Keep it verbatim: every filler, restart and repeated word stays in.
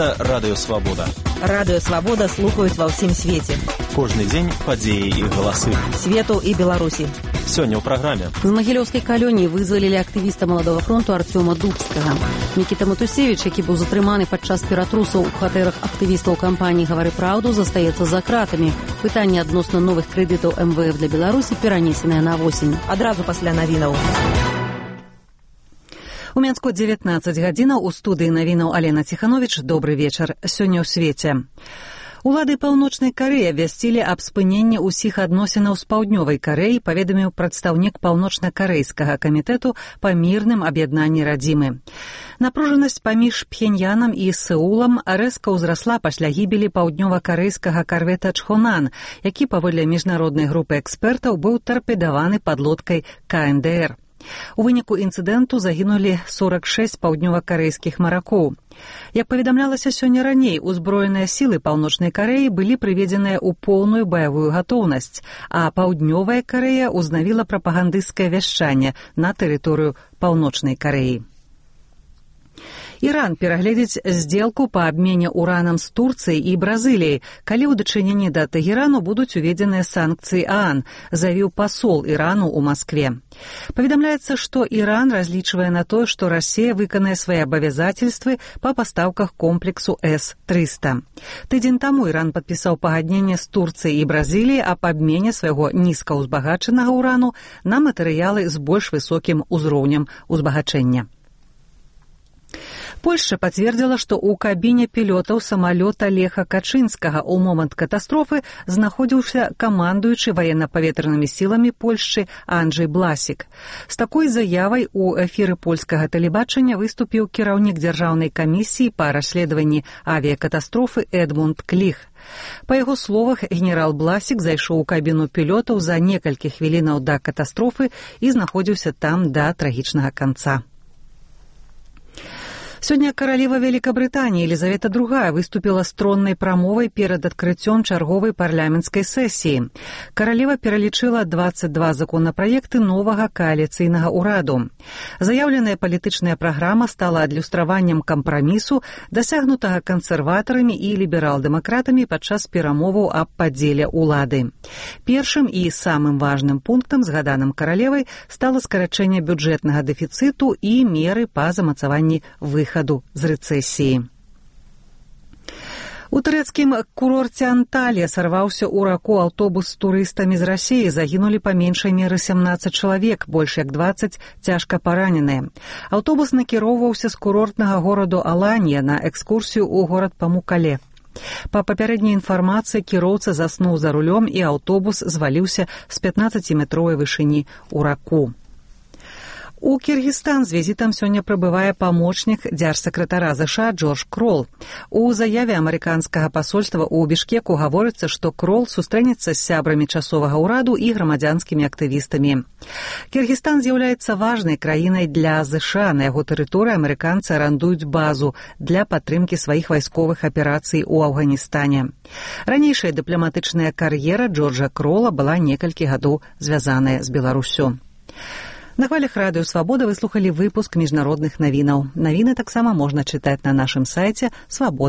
Гэта Радыё Свабода. Радыё Свабода слухаюць ва ўсім свеце. Кожны дзень падзеі і галасы. Свету і Беларусі. Сёння ў праграме. З магілёўскай калоніі вызвалілі актывіста Маладога фронту Артёма Дубскага. Мікіта Матусевіч, які быў затрыманы падчас ператрусаў у кватэрах актывістаў кампаніі «Гавары праўду», застаецца за кратамі. Пытанне адносна новых крэдытаў эм вэ эф для Беларусі перанесенае на восень. Адразу пасля навінаў. У Мінску дзевятнаццаць гадзінаў, у студыі навінаў Алена Ціхановіч. Добры вечар. Сёння ў свеце. Улады Паўночнай Карэі абвясцілі аб спыненні ўсіх адносінаў з Паўднёвай Карэяй, паведаміў прадстаўнік Паўночна-карэйскага камітэту па мірным аб'яднанні радзімы. Напружанасць паміж Пхеньянам і Сеулам рэзка ўзрасла пасля гібелі паўднёва-карэйскага карвета «Чхонан», які, паводле міжнароднай групы экспертаў, быў тарпедаваны падлодкай ка эн дэ эр. У выніку інцыдэнту загінулі сорак шэсць паўднёва-карэйскіх маракоў. Як паведамлялася сёння раней, узброеныя сілы Паўночнай Карэі былі прыведзеныя ў поўную баявую гатоўнасць, а Паўднёвая Карэя ўзнавіла прапагандысцкае вяшчанне на тэрыторыю Паўночнай Карэі. Іран перагледзіць здзелку па абмене уранам з Турцыяй і Бразыліяй, калі ў дачыненні да Тэгерану будуць уведзеныя санкцыі ААН, заявіў пасол Ірану ў Маскве. Паведамляецца, што Іран разлічвае на тое, што Расія выканае свае абавязацельствы па пастаўках комплексу эс трыста. Тыдзень таму Іран падпісаў пагадненне з Турцыяй і Бразіліяй аб абмене свайго нізкаўзбагачанага ўрану на матэрыялы з больш высокім узроўнем узбагачэння. Польшча пацвердзіла, што ў кабіне пілотаў самалёта Леха Качынскага ў момант катастрофы знаходзіўся камандуючы ваенна-паветранымі сіламі Польшчы Анджэй Бласік. З такой заявай у эфіры польскага тэлебачання выступіў кіраўнік дзяржаўнай камісіі па расследаванні авіякатастрофы Эдмунд Кліх. Па яго словах, генерал Бласік зайшоў у кабіну пілотаў за некалькі хвілінаў да катастрофы і знаходзіўся там да трагічнага канца. Сёння каралева Великабрытаніі Елізавета другая выступіла з троннай прамовай перад адкрыццём чарговай парламенцкай сесіі. Каралева пералічыла дваццаць два законапраекты новага кааліцыйнага ўраду. Заяўленая палітычная праграма стала адлюстраваннем кампрамісу, дасягнутага кансерватарамі і ліберал-дэмакратамі падчас перамоваў аб падзеле ўлады. Першым і самым важным пунктам, згаданым каралевай, стала скарачэнне бюджэтнага дэфіцыту і меры па замацаванні выхаду выхаду з рэцэсіі. У турэцкім курорце Анталія сарваўся ў раку аўтобус з турыстамі з Расіі. Загінулі па меншай меры сямнаццаць чалавек, больш як дваццаць цяжка параненыя. Аўтобус накіроўваўся з курортнага гораду Аланія на экскурсію ў горад Памукале. Па папярэдняй інфармацыі, кіроўца заснуў за рулём і аўтобус зваліўся з пятнаццаціметровай вышыні ў раку. У Кіргізстан з візітам сёння прыбывае памочнік дзяржсакратара ЗША Джордж Крол. У заяве амерыканскага пасольства ў Бішкеку гаворыцца, што Крол сустрэнецца з сябрамі часовага ўраду і грамадзянскімі актывістамі. Кіргізстан з'яўляецца важнай краінай для ЗША. На яго тэрыторыі амерыканцы арандуюць базу для падтрымкі сваіх вайсковых аперацый у Афганістане. Ранейшая дыпламатычная кар'ера Джорджа Крола была некалькі гадоў звязаная з Беларусю. На хвалях Радыё Свабода вы слухалі выпуск міжнародных навінаў. Навіны таксама можна чытаць на нашым сайце свабода.